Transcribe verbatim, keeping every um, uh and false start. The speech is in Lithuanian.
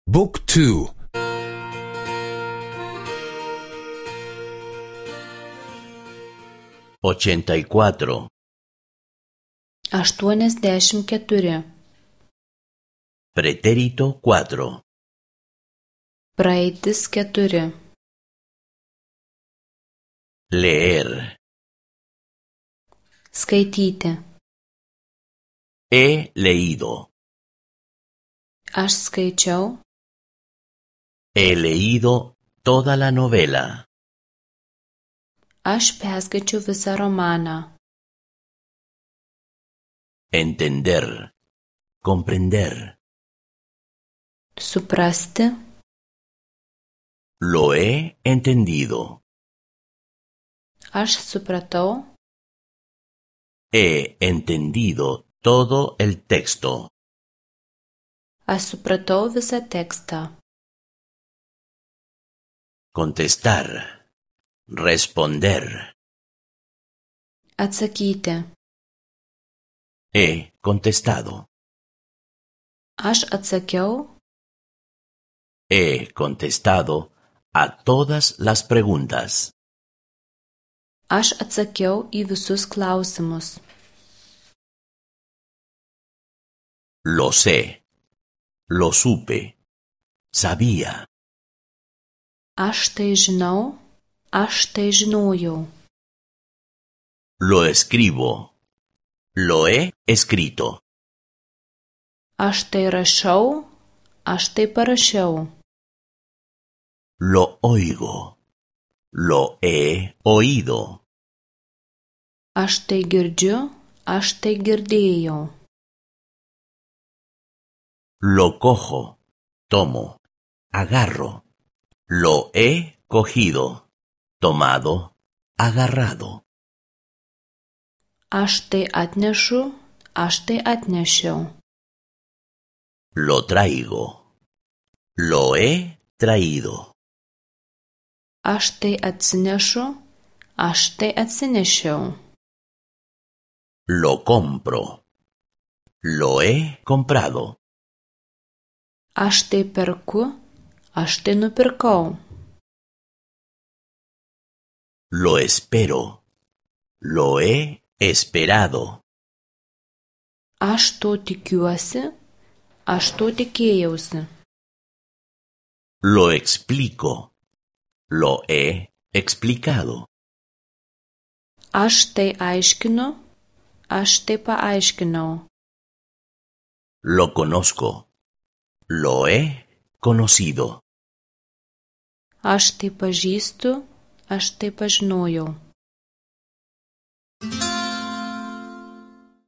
Book two. ochenta y cuatro. aštuoniasdešimt keturi. Pretérito cuatro. Praeitis keturi. Leer. Skaityti. He leído. Aš skaičiau. He leído toda la novela. Aš perskaičiau visą romaną. Entender. Comprender. Suprasti. Lo he entendido. Aš supratau. He entendido todo el texto. Aš supratau visą tekstą. Contestar. Responder. Atsakyti. He contestado. Aš atsakiau. He contestado a todas las preguntas. Aš atsakiau į visus klausimus. Lo sé. Lo supe. Sabía. Aš tai žinau. Aš tai žinojau. Lo escribo. Lo he escrito. Aš tai rašau. Aš tai parašiau. Lo oigo. Lo he oído. Aš tai girdžiu. Aš tai girdėjau. Lo cojo. Tomo. Agarro. Lo he cogido. Tomado. Agarrado. Aš tai atnešu. Aš tai atnešiau. Lo traigo. Lo he traído. Aš tai atsinešu. Aš tai atsinešiau. Lo compro. Lo he comprado. Aš tai perku. Aš tai nupirkau. Lo espero. Lo he esperado. Aš to tikiuosi. Aš to tikėjausi. Lo explico. Lo he explicado. Aš tai aiškinu. Aš tai paaiškinau. Lo conozco. Lo he conocido. Aš tai pažįstu. Aš tai pažinojau.